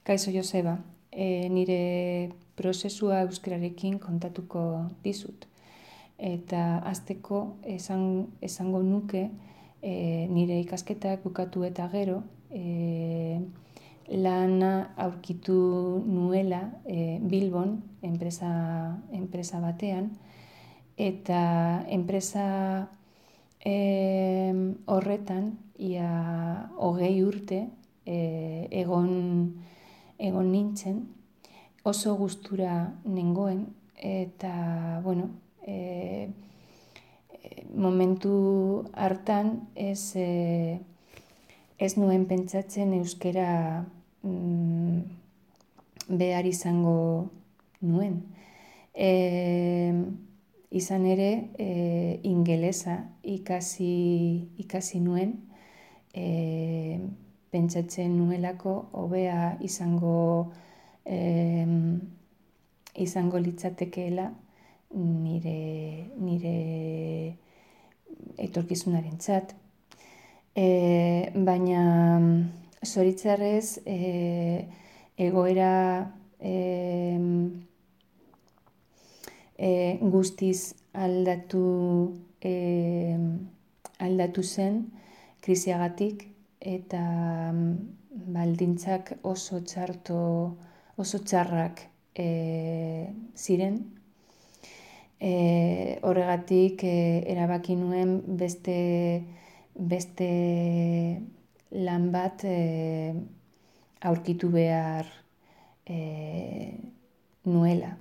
Kaixo Joseba, nire prozesua euskararekin kontatuko dizut. Eta hasteko esango nuke nire ikasketak bukatu eta gero lana aurkitu nuela Bilbon, enpresa batean, eta enpresa horretan ia 20 urte egon nintzen, oso gustura nengoen, eta, momentu hartan ez nuen pentsatzen euskara behar izango nuen. Izan ere, ingelesa ikasi nuen, pentsatzen nuelako hobea izango litzatekeela nire etorkizunarentzat. Baina zoritxarrez egoera guztiz aldatu zen krisiagatik, eta baldintzak oso txarrak ziren. Horregatik erabaki nuen beste lan bat aurkitu behar nuela.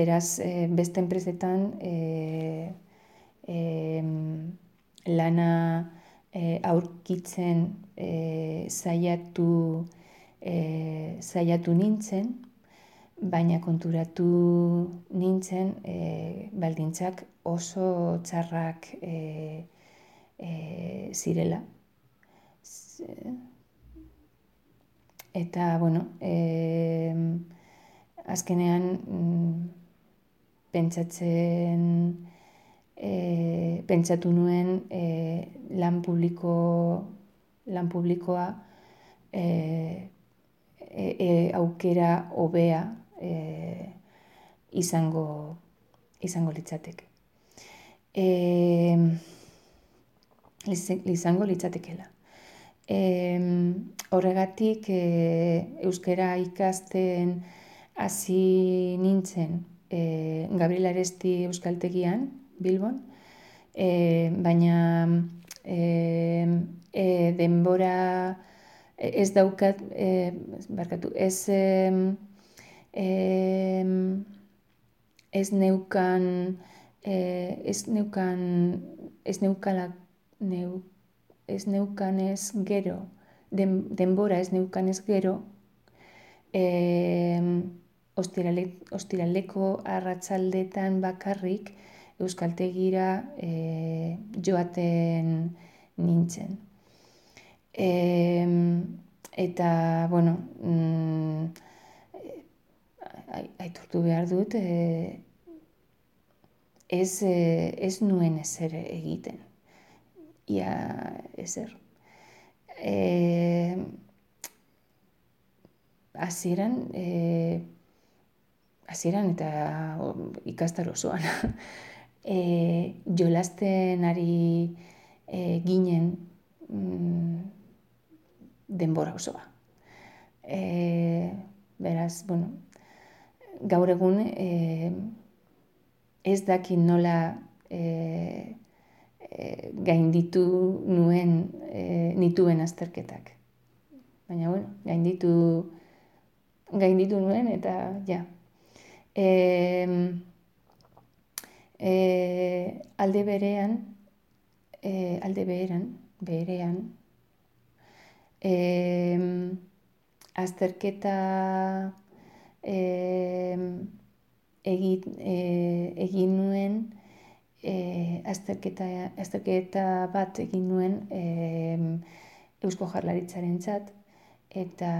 Beraz, beste enpresetan lana aurkitzen saiatu nintzen, baina konturatu nintzen baldintzak oso txarrak zirela. Eta, azkenean pentsatu nuen lan publikoa aukera hobea izango litzateke. Izango litzatekeela. Horregatik euskara ikasten hasi nintzen Gabriel Aresti euskaltegian, Bilbon, baina denbora ez daukat, denbora ez neukanez gero, ostiraleko arratsaldetan bakarrik euskaltegira joaten nintzen. Eta, aitortu behar dut, ez nuen ezer egiten. Ia ezer. Hasieran eta ikastaro osoan jolasten ari ginen denbora osoa. Beraz, gaur egun ez dakit nola gainditu nituen azterketak. Baina, gainditu nuen eta ja. Alde berean, azterketa egin nuen, azterketa bat egin nuen Eusko Jaurlaritzarentzat, eta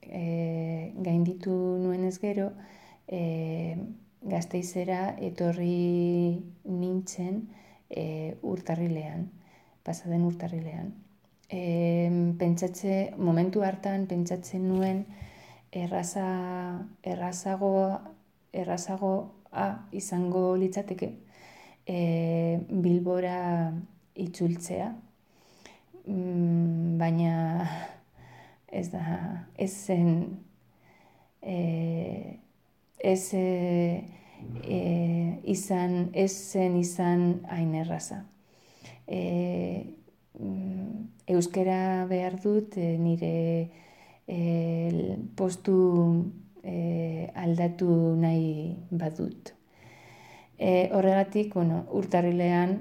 gainditu nuenez gero, Gasteizera etorri nintzen pasaden urtarrilean. momentu hartan pentsatzen nuen errazagoa izango litzateke Bilbora itzultzea, baina ez zen izan hain erraza. Euskara behar dut nire postu aldatu nahi badut. Horregatik, urtarrilean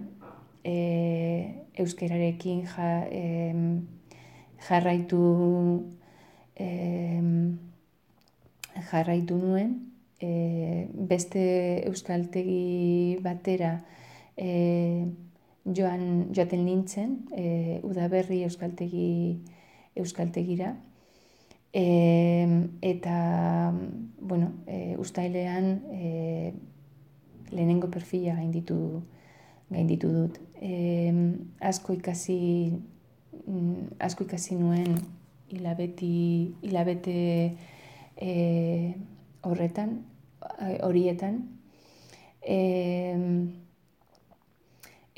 euskararekin jarraitu nuen, beste euskaltegi batera joaten nintzen, Udaberri euskaltegira, eta, uztailean lehenengo perfila gainditu dut. Asko ikasi nuen hilabete horietan,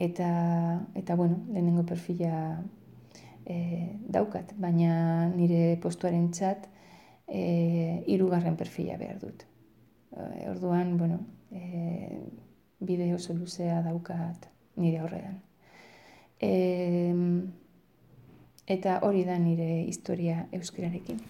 eta lehenengo perfila daukat, baina nire postuarentzat 3. perfila behar dut. Orduan, bide oso luzea daukat nire aurrean. Eta hori da nire historia euskararekin.